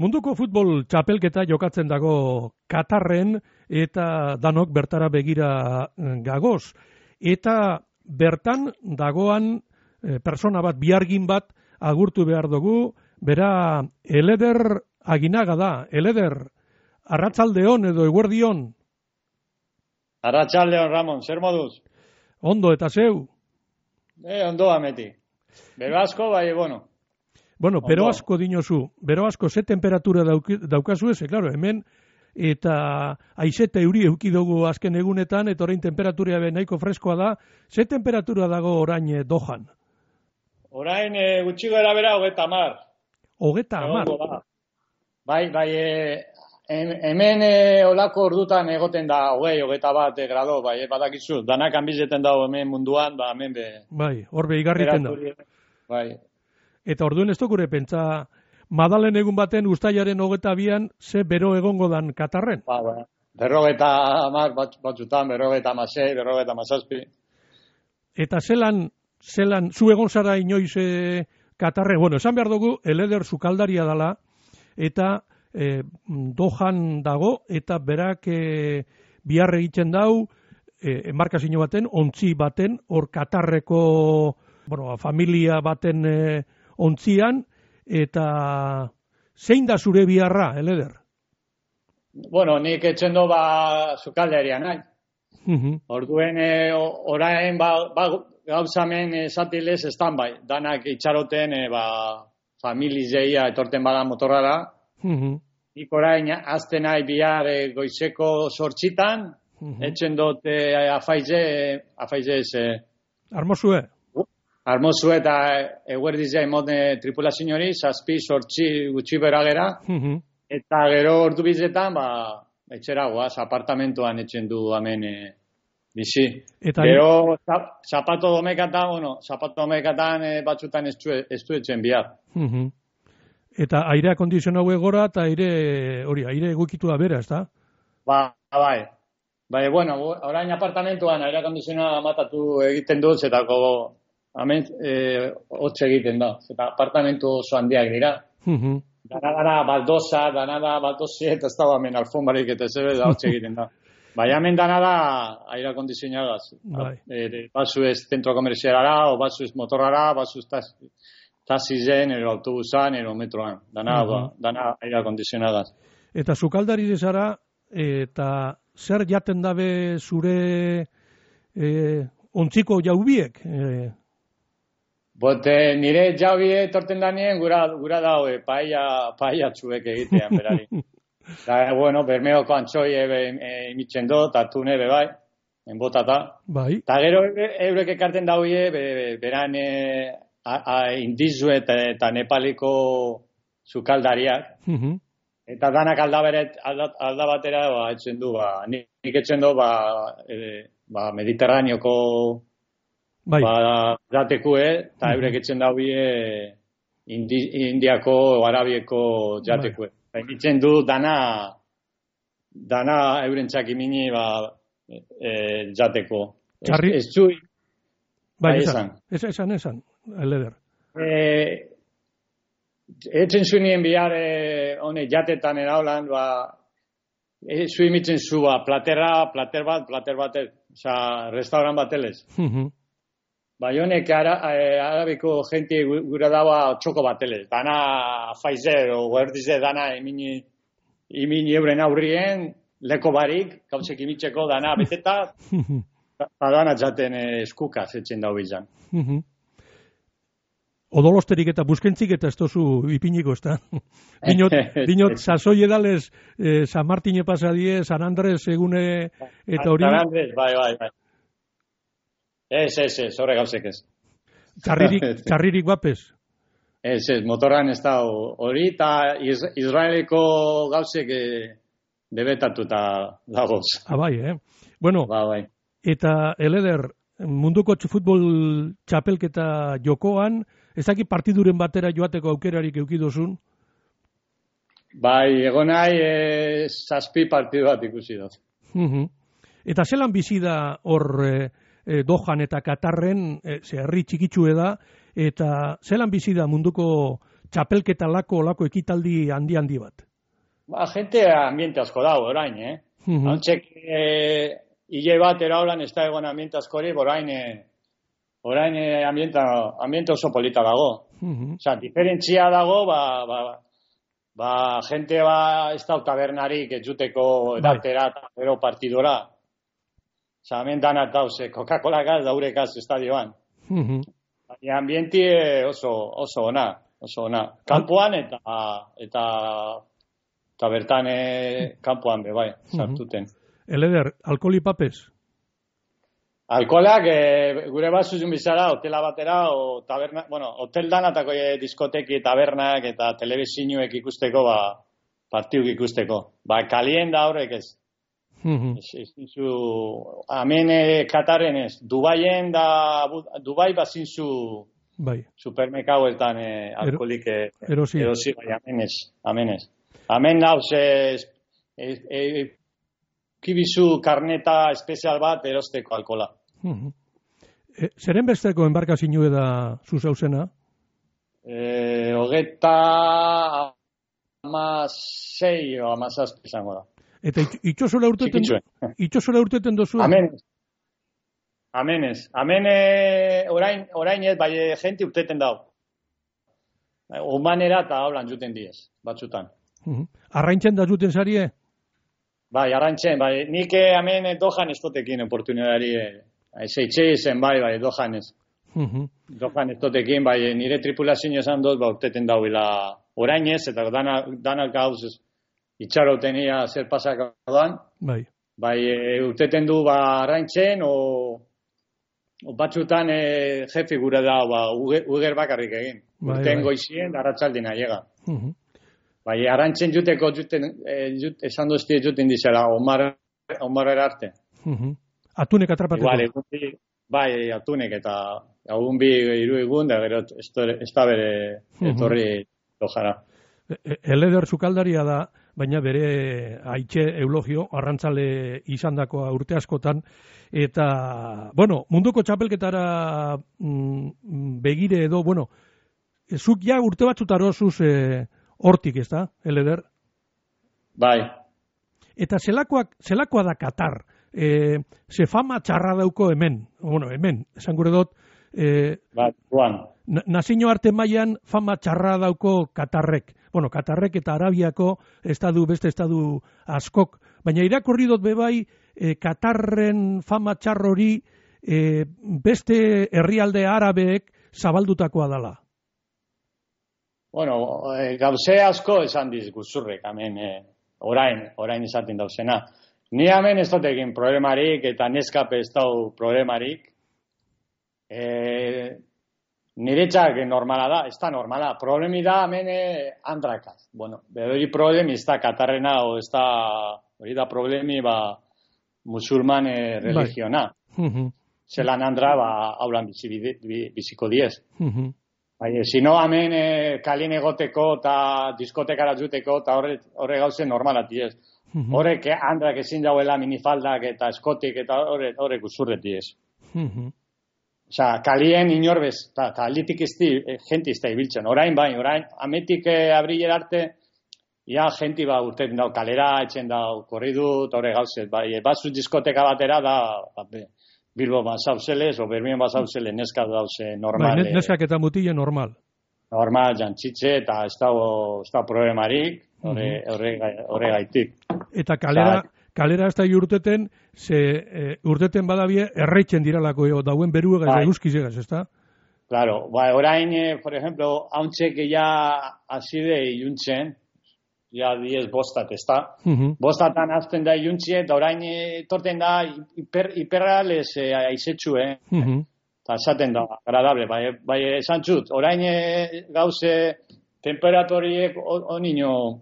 Munduko futbol txapelketa jokatzen dago Katarren eta danok bertara begira gagoz. Eta bertan dagoan persona bat, biargin bat agurtu behar dugu, bera Eleder Aginaga da. Eleder, arratsaldeon edo eguerdion? Arratsaldeon, Ramon, zer moduz? Ondo eta zeu? Ondo ameti. Bero asko, bai, bueno. Bueno, bero asko dinozu, bero asko ze temperatura daukazu ez, klaro, hemen, eta aizete euri eukidugu azken egunetan, eta orain temperatura nahiko freskoa da, ze temperatura dago orain Dohan? Orain gutxi gara bera 30. 30? Bai, hemen olako ordutan egoten da 21 grado, bai, badakizu, danak anbizeten dago hemen munduan, ba, hemen be... Bai, horbe igarriten da. Bai. Eta orduen ez dukure pentsa, Madalen egun baten ustailaren 22an ze bero egongo dan Katarren? Ba, 50 batzutan, 56, 57. Eta zelan, zu egon zara inoiz Katarren, bueno, esan behar dugu, Eleder sukaldaria dala, eta Dohan dago, eta berak bihar egiten dau, enbarkazio baten, ontzi baten, hor Katarreko, bueno, familia baten ontzian, eta zein da zure biharra, Eleder? Bueno, nik etxen do sukaldaria nahi. Orduen orain gauzamen esatilez estan bai. Danak itxaroten familizeia etorten bada motorrara. Nik orain azten nahi bihar goizeko 8:00, etxen dut afaize Armozue? Armozu eta eguerdizia emone tripulazio hori, 7-8 gutxi beragera, eta gero ordu bizetan, etxera goaz, apartamentoan etxen du hemen bizi. Gero, zapato domekatan batzutan ez du etxen bihar. Eta aire akondizionau egora eta aire egukitu da bera, ez da? Bai. Bueno, orain apartamentoan aire akondizionau amatatu egiten dut, zetako hemen hotz egiten da, eta apartamentu oso handiak dira. Dana baldosa, eta ez da hemen alfonbarik eta zebe da hotz egiten da. Baina hemen dana da aire akondizionagaz. Basu ez zentro komerzialara, o basu ez motorrara, basu ez taxizen, ero autobusan, ero metroan. Dana aire akondizionagaz. Eta sukaldari zara, eta zer jaten dabe zure ontziko jaubiek? Bote, nire jaubie etorten danien gura daue, paella txuek egitean berari. Eta, bueno, bermeoko antxoi imitzen do, eta tune bai, enbotata. Bai. Eta gero eurek ekarten dauie, beran indizu eta nepaliko sukaldariak. Eta danak aldabatera etxen du, nik etxen du, mediterraneoko jatekue, eta eurek etxen daubie indiako o arabieko jatekue. Egitzen du dana eurentzak imini jateko. Ez zu... Bai, esan, Eleder. Etzen zunien bihar hone jatetan eraulan, zu imitzen zu plater bat, restauran batelez. Bai, honek arabiko jenti gura daua txoko batelez. Dana faizer o guerdize dana imini euren aurrien, leko barik, gauzek imitzeko dana beteta, dana jaten eskukaz etxen dau bizan. Odolosterik eta buskentzik eta ez tozu ipiniko, ez da? Dinot, sasoi edalez, San Martine pasadie, San Andres egune eta hori... San Andres, bai. Ez, horre gauzek ez. Txarririk bapez? Ez, motorran ez da hori eta Israeleko gauzek debetatuta dagoz. Bai, Bueno, bai. Eta Eleder, munduko futbol txapelketa jokoan, ezaki partiduren batera joateko aukerarik eukidozun? Bai, egon nahi 7 partidu bat ikusi dut. Eta zelan bizi da hor... Dohan eta Katarren, herri txikitsue da, eta zelan bizi da munduko txapelketa olako ekitaldi handi bat? Ba, gente ambiente asko dago, orain, Hantxek, hile bat eraulan ez da egon ambiente askori, orain ambiente oso polita dago. Osa, diferentzia dago, gente ez da tabernarik ez juteko edatera eta gero partidora. Osa, hemen danat dauz, Coca-Cola gaz daurekaz estadioan. Ambiente oso ona. Kampuan eta bertan kampuan bebai, sartuten. Eleder, alkoholi papez? Alkoholak gure bat zuzun bizara, hotela batera, o taberna, hotel danatako diskoteki, tabernak eta telebizinuek ikusteko, partiuk ikusteko. Kalien da horrek ez. Hemen Kataren ez. Dubai bazinzu supermerkauetan alkoholik erosi, amenez. Hemen nauz kibizu karneta espezial bat erosteko alkohola. Zeren besteko enbarkazinu da zuzauzena? 26 o 17 izango da. Eta itxosora urteten dozu? Amenez. Orain ez, bai jenti urteten dau. Humanera eta hablan juten diez, batzutan. Arraintzen da juten zarie? Bai, arraintzen, bai. Nik hemen dojan ez totekin oportunidari. Zeitxe izen, bai, dojan ez. Dojan ez totekin, bai, nire tripulazio esan dut, urteten dauila orain ez, eta danak gauz itxaroten ia zer pasak doan. Bai, urteten du arraintzen, o batzutan jefi gure da, uger bakarrik egin. Urten goizien, arratzaldin aiega. Bai, arraintzen juteko esan duzti juten dizela, omarera arte. Atunek atrapateko? Bai, atunek eta egun bi hiru egun, da gero ez da bere etorri dojara. Eleder sukaldaria da, baina bere aitxe eulogio, arrantzale izandakoa urte askotan, eta, munduko txapelketara begire edo, zuk ja urte batzutarazuz hortik, ez da, Eleder? Bai. Eta zelakoa da Katar? Ze fama txarra dauko hemen, esan gure dut, nazio arte mailan fama txarra dauko Katarrek. Katarrek eta Arabiako beste estadu askok, baina irakurri dut bebai Katarren fama txarrori beste herrialde arabeek zabaldutakoa dala. Gauze asko esan dizguzurrek, hemen, orain esaten dauzena. Ni hemen ez dut egin problemarik eta neskape ez dau problemarik. Niretzak normala da, ez da normala. Problemi da hemen andrakaz. Hori problemi ez da Katarrena, hori da problemi musulman religiona. Zelan andra haulan biziko diez. Sino hemen kalin egoteko eta diskotekara juteko eta horre gauze normalat diez. Horrek andrak ezin dauela minifaldak eta eskotik eta horrek uzurreti ez. Osa, kalien inorbez, eta alitik jenti ez da ibiltzen. Orain, ametik abriller arte, jenti urten dau kalera, etxen dau korridut, horre gauzet. Batzut diskoteka batera da, Bilbo bazauzeles, o Bermien bazauzeles, neska dauze normal. Neskak eta mutile normal. Normal, jantzitze, eta ez da problemarik, horre gaitik. Eta kalera ez da urteten, urteten badabie erreitzen diralako dauen beruega eguzkizegaz, ez da? Claro, orain, por ejemplo, hauntxek azide iluntzen, ja 10 bostat, ez da? Bostatan azten da iluntzie, eta orain torten da hiperreales aizetxu, eta esaten da, agradable, bai esan txut, orain gauze temperatoriek onino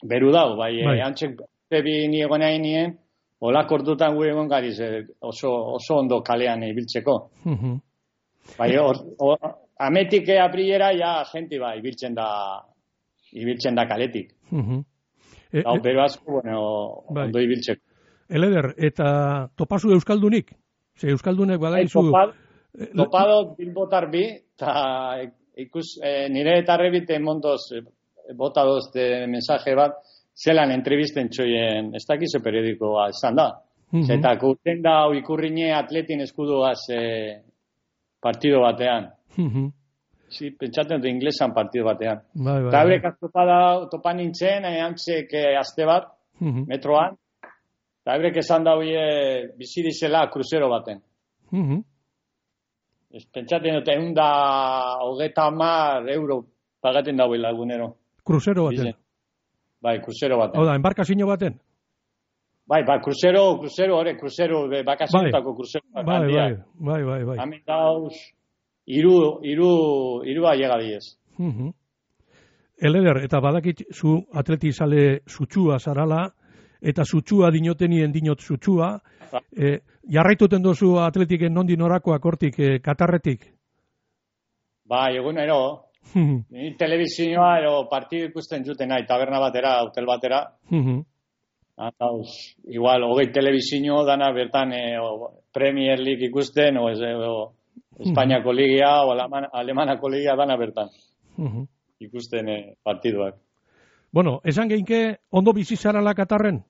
beru dau, hauntxek bi niegoen hain nien, olak ordutan gu egon gariz oso ondo kalean ibiltzeko. Ametik aprilera jenti ibiltzen da kaletik. Pero asko, ondo ibiltzeko. Eleder, eta topazu euskaldunik? Ze euskaldunek badaizu... Topado bilbotar bi, eta nire eta rebite mondoz, bota dozte mensaje bat, zelan entrevisten txoien, ez dakize periodikoa izan da. Eta kurten da ikurrine atletin eskuduaz partido batean. Sí, pentsatzen dut inglesan partido batean. Eta eurek topa nintzen, antzek aste bat, metroan, eta eurek esan da bizidizela kruzero baten. Pentsatzen dut, €130 pagaten dauela egunero. Kruzero baten? Bai, kruzero baten. Hau da, embarkazio baten? Bai, kruzero, bakazionetako kruzero. Bai. Hamen dauz, iru aiega diez. Eleder, eta badakit zu atletizale zutxua zarala, eta zutxua dinotenien dinot zutxua, jarraituten dozu atletiken nondi norakoak hortik, Katarretik? Bai, egunero. Ni telebizioa ero partidu ikusten juten nahi, taberna batera, hotel batera. Igual, 20 telebizio dana bertan Premier League ikusten, o Espainiako ligia, o Alemanako ligia dana bertan. Ikusten partiduak. Bueno, esan geinke, ondo bizi zarala Katarren?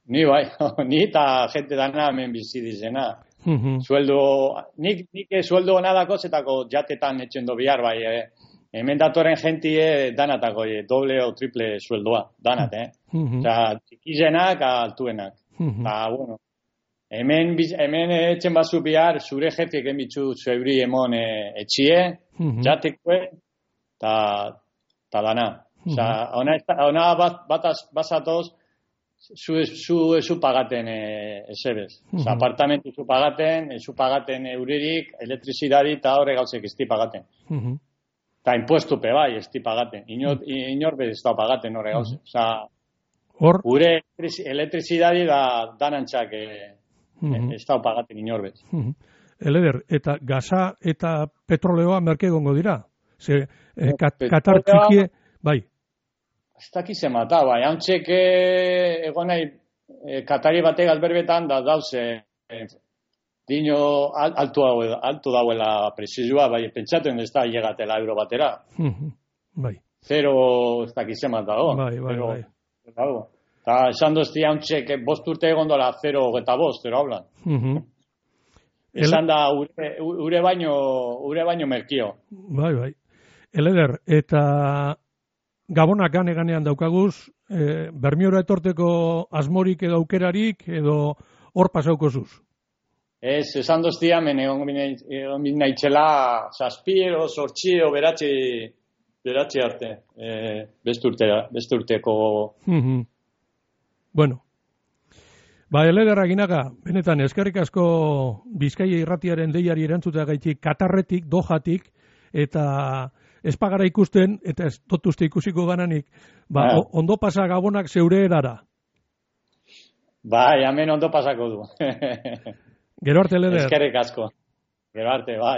Ni bai, ni eta jente dana hemen bizi dizena. Nik sueldo ona dako zetako jatetan etxendo bihar bai, hemen datoren jentie danatako, doble o triple sueldoa, danat, Osa, txikizenak, altuenak. Eta, bueno, hemen etxen bazu bihar, zure jefik emitzu zuebri emon etxie, jatekue, eta dana. Osa, ona basatoz, zu pagaten esebez. Osa, apartamentu zu pagaten euririk, elektrizidadi eta horre gauzek esti pagaten. Eta impuestupe bai, esti pagaten. Inor bez ez da pagaten horre gauzek. Osa, gure elektrizidadi da danantzak ez da pagaten inor bez. Eleder, eta gaza eta petroleoa merke gongo dira? Katar txikie, bai. Ez dakize mata, bai. Hauntzek egon nahi Katari batek alberbetan da dauze dino alto dauela prezizua, bai, pentsatzen ez da llegatela euro batera. Bai. Zero ez dakize mata, Bai. Eta esan dozti hauntzek 5 urte egon dola 0,5, zero hablan. Esan da ure baino merkio. Bai. Eleder, eta Gabonak ganean daukaguz, Bermiora etorteko asmorik edo aukerarik, edo hor pasaukozuz? Ez, esan doztia, egon binaitzela, 7 o 8 o beratzi arte, beste urteko. Bueno, Eleder Aginaga, benetan, eskerrik asko Bizkaia irratiaren deiari erantzutea gaitik, Katarretik, Dohatik, eta ez pagara ikusten, eta ez dotuzte ikusiko gananik, ondo pasa Gabonak zeure erara. Bai, hemen ondo pasako du. Gero arte, Eleder. Eskerrik asko. Gero arte, bai.